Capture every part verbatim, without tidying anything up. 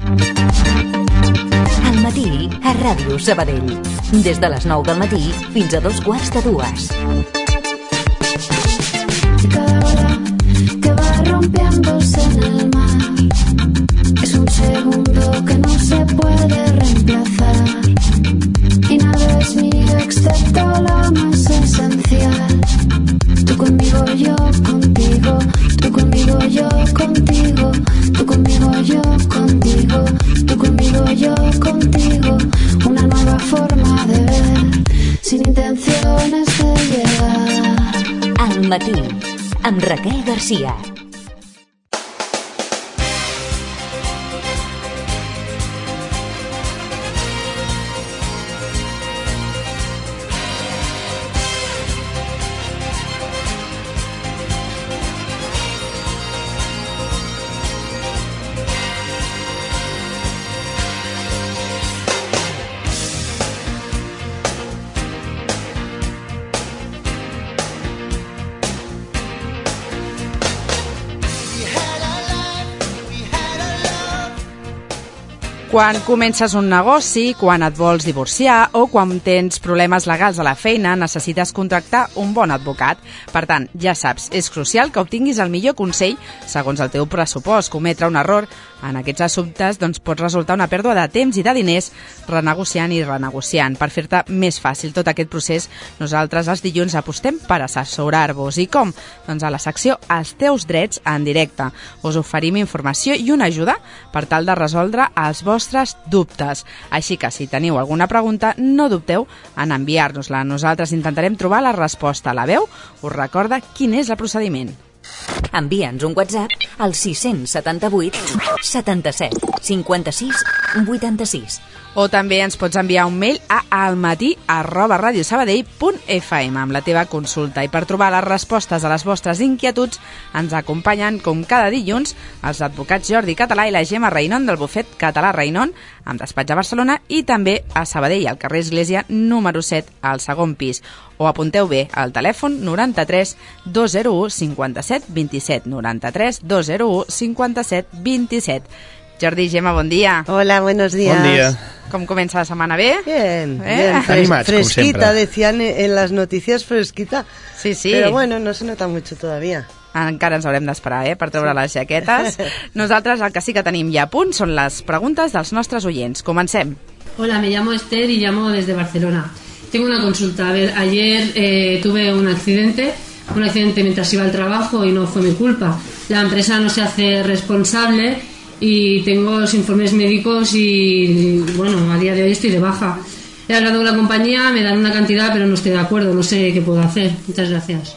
Al matí, a Ràdio Sabadell. Des de les nou del matí fins a dos quarts de dues. Cada ola que va rompiéndose en el mar es un segundo que no se puede reemplazar y nada es mío excepto lo más esencial. Tú conmigo, yo contigo, tú conmigo, yo contigo, tú conmigo, yo contigo, tú conmigo, yo contigo. Una nueva forma de ver, sin intenciones de llegar. Al matí, amb Raquel Garcia. Quan comences un negoci, quan et vols divorciar o quan tens problemes legals a la feina, necessites contractar un bon advocat. Per tant, ja saps, és crucial que obtinguis el millor consell segons el teu pressupost. Cometre un error en aquests assumptes doncs, pot resultar una pèrdua de temps i de diners renegociant i renegociant. Per fer-te més fàcil tot aquest procés, nosaltres els dilluns apostem per assessorar-vos. I com? Doncs a la secció Els teus drets en directe. Us oferim informació i una ajuda per tal de resoldre els vostres dubtes. Així que si teniu alguna pregunta, no dubteu en enviar-nos-la. Nosaltres intentarem trobar la resposta. La veu us recorda quin és el procediment. Envia'ns un WhatsApp al sis setanta vuit setanta-set cinquanta-sis vuitanta-sis. O també ens pots enviar un mail a almatí arroba radiosabadell punt f m amb la teva consulta. I per trobar les respostes a les vostres inquietuds ens acompanyen, com cada dilluns, els advocats Jordi Català i la Gemma Reinon del bufet Català Reinon, amb despatx a Barcelona i també a Sabadell, al carrer Església número set, al segon pis. O apunteu bé al telèfon noranta-tres dos zero u cinquanta-set vint-i-set, noranta-tres dos zero u cinquanta-set vint-i-set. Jordi, Gemma, bon dia. Hola, buenos días. Bon dia. Com comença la setmana? Bé? Bien, ¿Eh? bien. Fres Animats, com fresquita, sempre. decían en las noticias, fresquita. Sí, sí. Pero bueno, no se nota mucho todavía. Encara ens haurem d'esperar, eh, per treure sí. les jaquetes. Nosaltres el que sí que tenim ja a punt són les preguntes dels nostres oients. Comencem. Hola, me llamo Esther y llamo desde Barcelona. Tengo una consulta. A ver, ayer eh, tuve un accidente, un accidente mientras iba al trabajo y no fue mi culpa. La empresa no se hace responsable y tengo los informes médicos y, bueno, a día de hoy estoy de baja. He hablado con la compañía, me dan una cantidad, pero no estoy de acuerdo, no sé qué puedo hacer. Muchas gracias.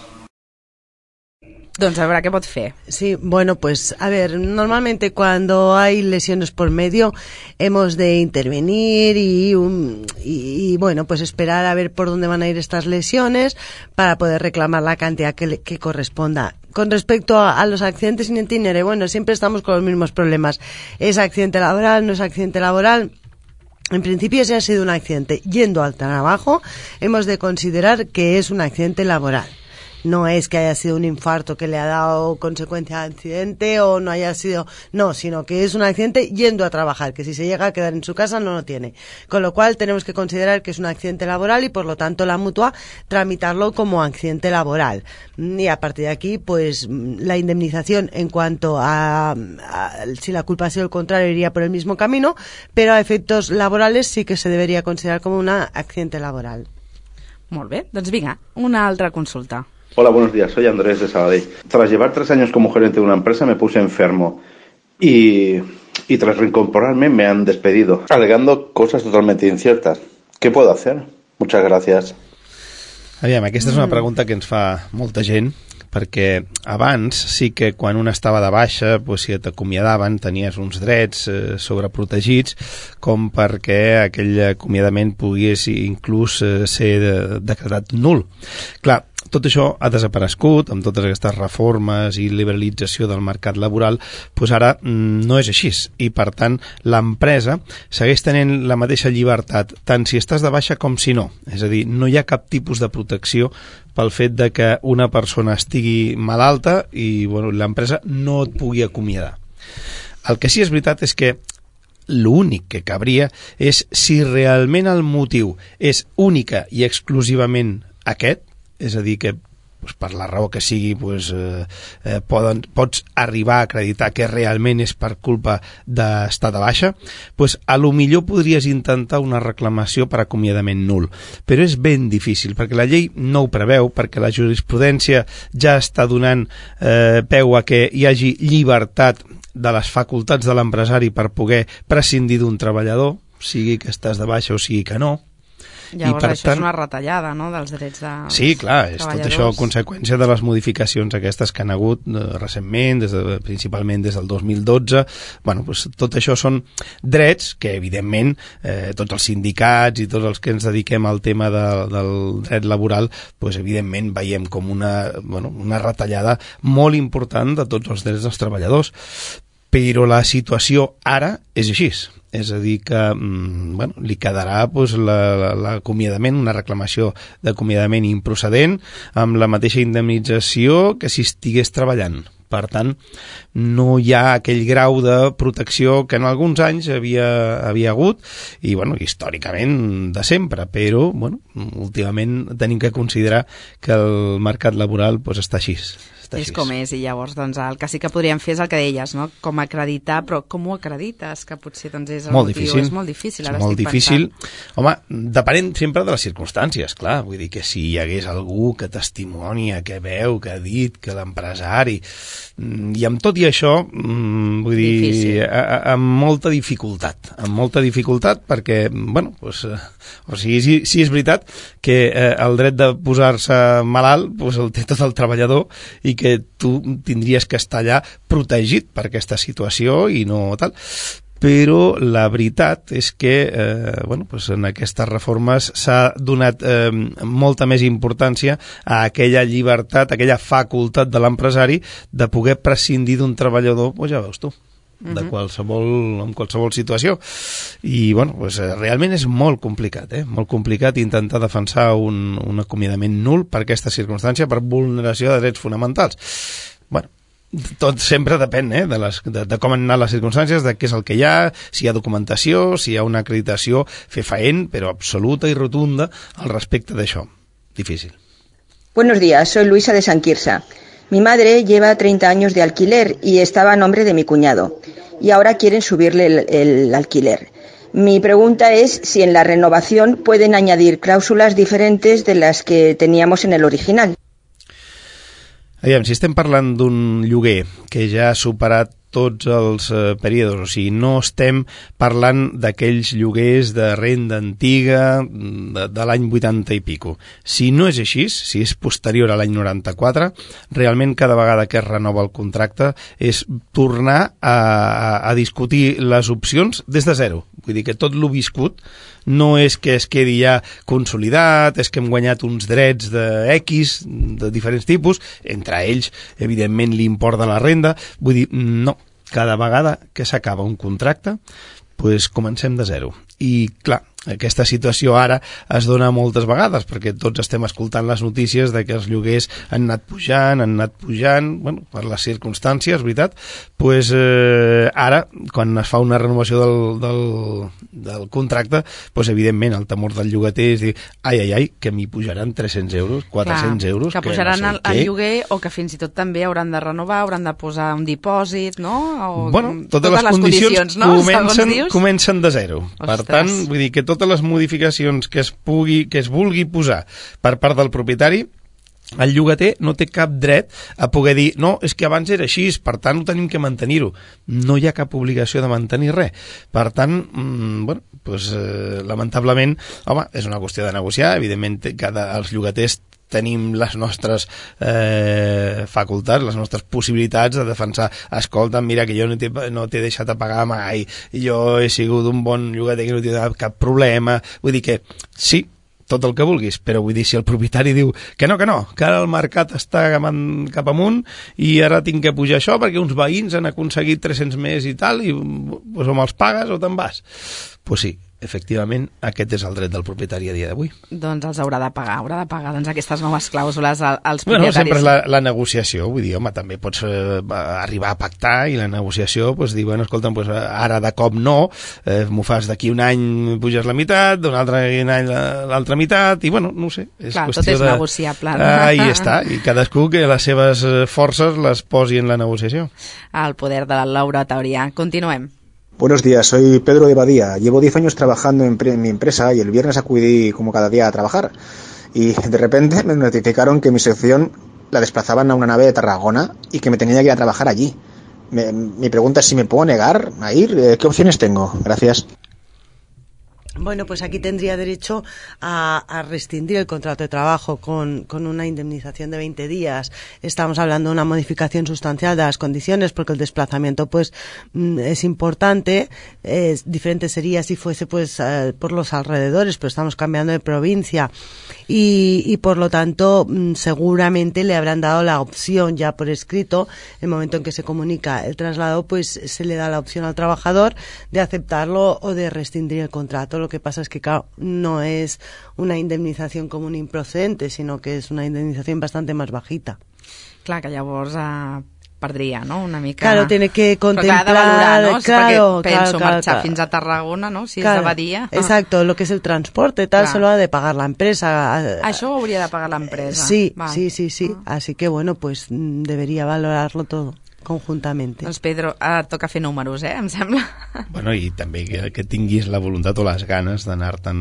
Doncs a veure què pot fer. Sí, bueno, pues a ver, normalmente cuando hay lesiones por medio hemos de intervenir y, um, y, y bueno, pues esperar a ver por dónde van a ir estas lesiones para poder reclamar la cantidad que, le, que corresponda. Con respecto a, a los accidentes in itinere, bueno, siempre estamos con los mismos problemas. ¿Es accidente laboral? ¿No es accidente laboral? En principio, si ha sido un accidente yendo al trabajo, hemos de considerar que es un accidente laboral. No es que haya sido un infarto que le ha dado consecuencia de accidente o no haya sido... No, sino que es un accidente yendo a trabajar, que si se llega a quedar en su casa no lo tiene. Con lo cual tenemos que considerar que es un accidente laboral y por lo tanto la mutua tramitarlo como accidente laboral. Y a partir de aquí, pues la indemnización en cuanto a, a si la culpa ha sido el contrario iría por el mismo camino, pero a efectos laborales sí que se debería considerar como un accidente laboral. Molt bé, doncs vinga, una altra consulta. Hola, buenos días, soy Andrés de Sabadell. Tras llevar tres años como gerente de una empresa me puse enfermo y, y tras reincorporarme me han despedido, alegando cosas totalmente inciertas. ¿Qué puedo hacer? Muchas gracias. Aviam, aquesta és una pregunta que ens fa molta gent, perquè abans sí que quan un estava de baixa, doncs, si t'acomiadaven tenies uns drets eh, sobreprotegits com perquè aquell acomiadament pogués inclús eh, ser de, decretat nul. Clar, tot això ha desaparegut amb totes aquestes reformes i liberalització del mercat laboral, doncs ara no és així i per tant l'empresa segueix tenint la mateixa llibertat tant si estàs de baixa com si no, és a dir, no hi ha cap tipus de protecció pel fet de que una persona estigui malalta i bueno, l'empresa no et pugui acomiadar. El que sí és veritat és que l'únic que cabria és si realment el motiu és única i exclusivament aquest, és a dir, que pues, per la raó que sigui pues, eh, eh, poden, pots arribar a acreditar que realment és per culpa d'estar de baixa, pues, a lo millor podries intentar una reclamació per acomiadament nul, però és ben difícil perquè la llei no ho preveu, perquè la jurisprudència ja està donant eh, peu a que hi hagi llibertat de les facultats de l'empresari per poder prescindir d'un treballador, sigui que estàs de baixa o sigui que no. Llavors això tant, és una retallada, no?, dels drets de sí, clar, és tot això conseqüència de les modificacions aquestes que han hagut eh, recentment, des de, principalment des del dos mil dotze. Bueno, pues, tot això són drets que, evidentment, eh, tots els sindicats i tots els que ens dediquem al tema de, del dret laboral, pues, evidentment, veiem com una, bueno, una retallada molt important de tots els drets dels treballadors. Però la situació ara és així. És a dir que mm, bueno, li quedarà pues, l'acomiadament, una reclamació d'acomiadament improcedent amb la mateixa indemnització que si estigués treballant. Per tant, no hi ha aquell grau de protecció que en alguns anys havia, havia hagut i, bueno, històricament de sempre, però, bueno, últimament tenim que considerar que el mercat laboral pues, està així. És com és, i llavors doncs, el que sí que podríem fer és el que deies, no? Com acreditar, però com ho acredites? Que potser doncs, és el molt motiu. Difícil. És molt difícil, ara és molt estic difícil. pensant. Home, depenent sempre de les circumstàncies, clar. Vull dir que si hi hagués algú que testimonia, que veu, que ha dit, que l'empresari... I amb tot i això, vull dir, a, a, amb molta dificultat. Amb molta dificultat perquè, bueno, doncs, o sigui, si, si és veritat que eh, el dret de posar-se malalt pues, el té tot el treballador i que tu tindries que estar allà protegit per aquesta situació i no tal, però la veritat és que eh, bueno, pues en aquestes reformes s'ha donat eh, molta més importància a aquella llibertat, a aquella facultat de l'empresari de poder prescindir d'un treballador, pues ja veus tu, de qualsevol, en qualsevol situació. I bueno, pues, realment és molt complicat, eh? molt complicat intentar defensar un, un acomiadament nul per aquesta circumstància, per vulneració de drets fonamentals. Bueno, tot sempre depèn eh, de, les, de, de com han anat les circumstàncies, de què és el que hi ha, si hi ha documentació, si hi ha una acreditació fefaent, però absoluta i rotunda al respecte d'això. Difícil. Buenos días, soy Luisa de San Quirsa. Mi madre lleva treinta años de alquiler y estaba a nombre de mi cuñado. Y ahora quieren subirle el, el alquiler. Mi pregunta es si en la renovación pueden añadir cláusulas diferentes de las que teníamos en el original. Aviam, si estem parlant d'un lloguer que ja ha superat tots els eh, períodes, o sigui, no estem parlant d'aquells lloguers de renda antiga de, de l'any vuitanta i pico. Si no és així, si és posterior a l'any noranta-quatre, realment cada vegada que es renova el contracte és tornar a, a, a discutir les opcions des de zero. Vull dir que tot lo viscut no és que es quedi ja consolidat, és que hem guanyat uns drets de X, de diferents tipus, entre ells, evidentment, l'import de la renda. Vull dir, no, cada vegada que s'acaba un contracte, pues comencem de zero. I, clar, aquesta situació ara es dona moltes vegades, perquè tots estem escoltant les notícies de que els lloguers han anat pujant, han anat pujant, bueno, per les circumstàncies, veritat, pues eh, ara, quan es fa una renovació del, del, del contracte, pues evidentment el temor del llogater és dir, ai, ai, ai, que m'hi pujaran tres-cents euros, quatre-cents Clar, euros... Que pujaran que no sé el, el lloguer o que fins i tot també hauran de renovar, hauran de posar un dipòsit, no? O, bueno, totes, totes les, les condicions, condicions no? comencen, comencen de zero. Ostres. Per tant, vull dir que totes les modificacions que es pugui, que es vulgui posar per part del propietari, el llogater no té cap dret a poder dir no, és que abans era així, per tant ho tenim que mantenir-ho. No hi ha cap obligació de mantenir res. Per tant, mmm, bueno, pues, eh, lamentablement, home, és una qüestió de negociar, evidentment cada, els llogaters tenim les nostres eh, facultats, les nostres possibilitats de defensar, escolta, mira que jo no t'he no t'he deixat a pagar mai, jo he sigut un bon llogater que no t'he donat cap problema, vull dir que sí, tot el que vulguis, però vull dir, si el propietari diu que no, que no, que ara el mercat està cap amunt i ara tinc que pujar això perquè uns veïns han aconseguit tres-cents més i tal, i pues, o me'ls pagues o te'n vas. Pues sí, efectivament, aquest és el dret del propietari a dia d'avui. Doncs els haurà de pagar, haurà de pagar doncs, aquestes noves clàusules als Bueno, propietaris. sempre és la, la negociació, vull dir, home, també pots eh, arribar a pactar i la negociació, doncs dir, bueno, escolta'm, doncs, ara de cop no, eh, m'ho fas d'aquí un any puges la meitat, d'un altre any l'altra meitat, i bueno, no ho sé. És Clar, qüestió tot és de... negociable. Ah, i està, i cadascú que les seves forces les posi en la negociació. El poder de l'oratòria. Continuem. Buenos días, soy Pedro de Badía. Llevo diez años trabajando en, en mi empresa y el viernes acudí como cada día a trabajar. Y de repente me notificaron que mi sección la desplazaban a una nave de Tarragona y que me tenía que ir a trabajar allí. Me, mi pregunta es si me puedo negar a ir. ¿Qué opciones tengo? Gracias. Bueno, pues aquí tendría derecho a, a rescindir el contrato de trabajo con, con una indemnización de veinte días. Estamos hablando de una modificación sustancial de las condiciones porque el desplazamiento pues es importante. Es diferente sería si fuese pues eh, por los alrededores, pero estamos cambiando de provincia y, y por lo tanto seguramente le habrán dado la opción ya por escrito. El momento en que se comunica el traslado, pues se le da la opción al trabajador de aceptarlo o de rescindir el contrato. Lo que pasa es que, claro, no es una indemnización común improcedente, sino que es una indemnización bastante más bajita. Clar, que llavors eh, perdria, no?, una mica... Claro, tiene que contemplar... Però clar, de valorar, no? Claro, Perquè penso claro, claro, marxar claro. fins a Tarragona, no?, si claro, és de Badia. Exacto, lo que es el transporte, tal, Clar. se lo ha de pagar la empresa. Això ho hauria de pagar l'empresa. Sí, Val. sí, sí, sí. Ah. Así que, bueno, pues debería valorarlo todo conjuntamente. Doncs Pedro, ara toca fer números, eh, em sembla. Bueno, i també que, que tinguis la voluntat o les ganes d'anar-te'n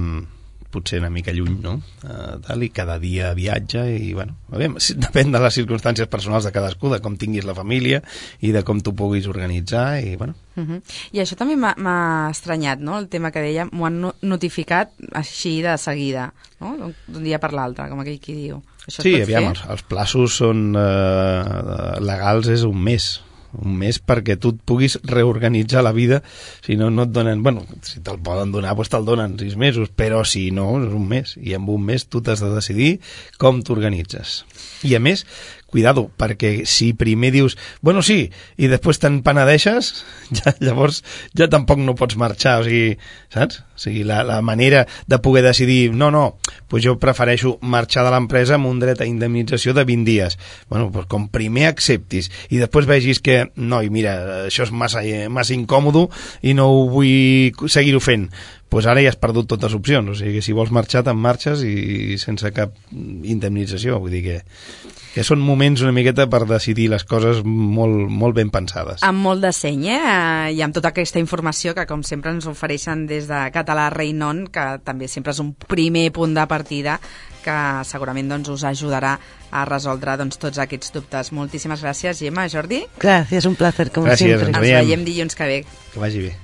potser una mica lluny, no? Uh, tal, i cada dia viatja i, bueno, a veure, depèn de les circumstàncies personals de cadascú, de com tinguis la família i de com tu puguis organitzar i, bueno... Uh -huh. I això també m'ha estranyat, no?, el tema que dèiem, m'ho han notificat així de seguida, no?, d'un dia per l'altre, com aquell qui diu. Això Sí, es pot aviam, fer? els, els plaços són eh, legals, és un mes un mes perquè tu et puguis reorganitzar la vida, si no, no et donen, bueno, si te'l poden donar, doncs te'l donen sis mesos, però si no, és un mes, i en un mes tu t'has de decidir com t'organitzes. I a més, cuidado, perquè si primer dius, bueno, sí, i després te'n penedeixes, ja, llavors ja tampoc no pots marxar, o sigui, saps? O sigui, la, la manera de poder decidir, no, no, doncs jo prefereixo marxar de l'empresa amb un dret a indemnització de vint dies. Bueno, doncs com primer acceptis i després vegis que, no, i mira, això és massa, massa incòmodo i no ho vull seguir-ho fent, doncs ara ja has perdut totes les opcions, o sigui, si vols marxar te'n marxes i sense cap indemnització, vull dir que que són moments una miqueta per decidir les coses molt, molt ben pensades. Amb molt de seny, eh? I amb tota aquesta informació que, com sempre, ens ofereixen des de Català Reinon, que també sempre és un primer punt de partida que segurament doncs, us ajudarà a resoldre doncs, tots aquests dubtes. Moltíssimes gràcies, Gemma. Jordi? Gràcies, un placer, com Gràcies, sempre. Ens veiem dilluns que ve. Que vagi bé.